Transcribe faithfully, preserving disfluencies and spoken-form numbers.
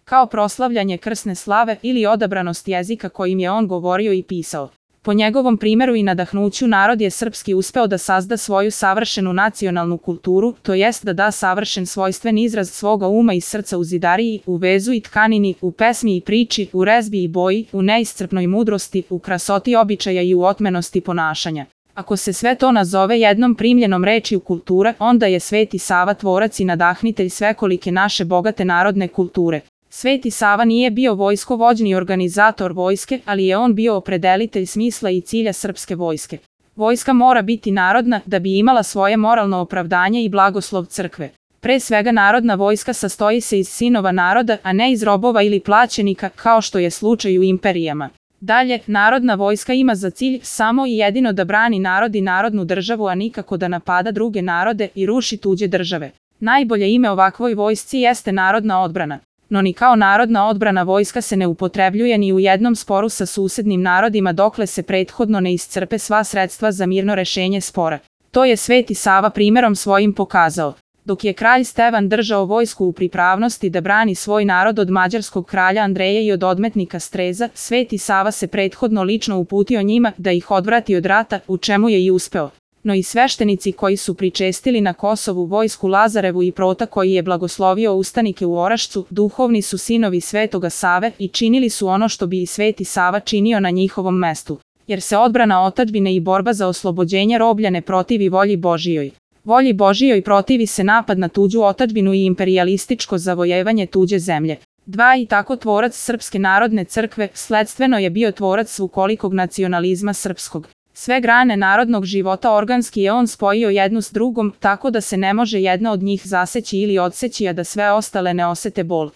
kao proslavljanje krsne slave ili odabranost jezika kojim je on govorio i pisao. Po njegovom primjeru i nadahnuću narod je srpski uspeo da sazda svoju savršenu nacionalnu kulturu, to jest da da savršen svojstven izraz svoga uma i srca u zidariji, u vezu i tkanini, u pesmi i priči, u rezbi i boji, u neiscrpnoj mudrosti, u krasoti običaja i u otmenosti ponašanja. Ako se sve to nazove jednom primljenom rečju kultura, onda je Sveti Sava tvorac i nadahnitelj svekolike naše bogate narodne kulture. Sveti Sava nije bio vojskovođni organizator vojske, ali je on bio opredelitelj smisla i cilja srpske vojske. Vojska mora biti narodna da bi imala svoje moralno opravdanje i blagoslov crkve. Pre svega narodna vojska sastoji se iz sinova naroda, a ne iz robova ili plaćenika, kao što je slučaj u imperijama. Dalje, narodna vojska ima za cilj samo i jedino da brani narod i narodnu državu, a nikako da napada druge narode i ruši tuđe države. Najbolje ime ovakvoj vojsci jeste narodna odbrana. No ni kao narodna odbrana vojska se ne upotrebljuje ni u jednom sporu sa susednim narodima dokle se prethodno ne iscrpe sva sredstva za mirno rešenje spora. To je Sveti Sava primjerom svojim pokazao. Dok je kralj Stevan držao vojsku u pripravnosti da brani svoj narod od mađarskog kralja Andreja i od odmetnika Streza, Sveti Sava se prethodno lično uputio njima da ih odvrati od rata, u čemu je i uspeo. No i sveštenici koji su pričestili na Kosovu vojsku Lazarevu i Prota koji je blagoslovio ustanike u Orašcu, duhovni su sinovi Svetoga Save i činili su ono što bi i Sveti Sava činio na njihovom mestu. Jer se odbrana otadžbine i borba za oslobođenje roblja ne protivi volji Božijoj. Volji Božijoj protivi se napad na tuđu otadžbinu i imperijalističko zavojevanje tuđe zemlje. Dva i tako tvorac Srpske narodne crkve, sledstveno je bio tvorac svukolikog nacionalizma srpskog. Sve grane narodnog života organski je on spojio jednu s drugom, tako da se ne može jedna od njih zaseći ili odseći, a da sve ostale ne osete bol.